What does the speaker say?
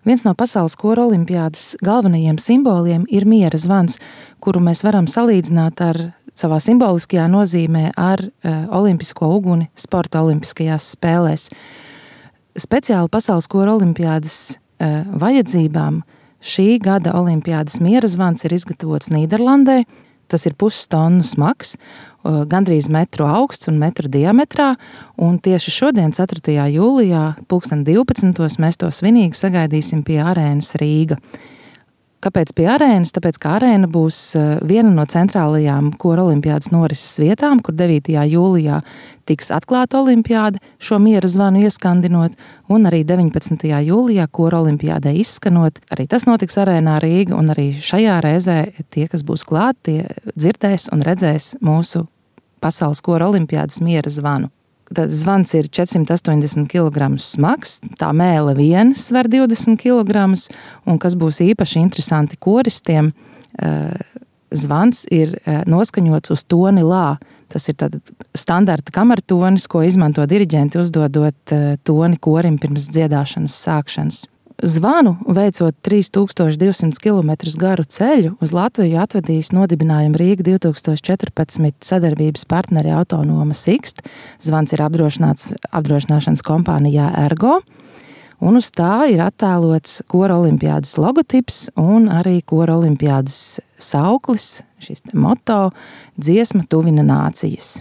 Viens no pasaules kora olimpiādas galvenajiem simboliem ir miera zvans, kuru mēs varam salīdzināt ar savā simboliskajā nozīmē ar olimpisko uguni sporta olimpiskajās spēlēs. Speciāli pasaules kora olimpiādas vajadzībām šī gada olimpiādas miera zvans ir izgatavots Nīderlandē. Tas ir 0,5 tonu smags, gandrīz metru augsts un metru diametrā, un tieši šodien, 4. jūlijā, 2012. mēs to svinīgi sagaidīsim pie arēnas Rīga. Kāpēc pie arēnas? Tāpēc, ka arēna būs viena no centrālajām kora olimpiādas norises vietām, kur 9. jūlijā tiks atklāta olimpiāda, šo miera zvanu ieskandinot, un arī 19. jūlijā kora olimpiādai izskanot. Arī tas notiks arēnā Rīga, un arī šajā reizē tie, kas būs klāt, tie dzirdēs un redzēs mūsu pasaules kora olimpiādas miera zvanu. Tad zvans ir 480 kg smags, tā mēle viena sver 20 kg, un kas būs īpaši interesanti koristiem, zvans ir noskaņots uz toni lā. Tas ir tāda standarta kamertonis, ko izmanto diriģenti uzdodot toni korim pirms dziedāšanas sākšanas. Zvanu, veicot 3200 km garu ceļu, uz Latviju atvedīs nodibinājuma Rīga 2014 sadarbības partneri Autonoma Sixt. Zvans ir apdrošināšanas kompānijā Ergo, un uz tā ir attēlots kora olimpiādas logotips un arī kora olimpiādas sauklis, šis moto dziesma tuvina nācijas.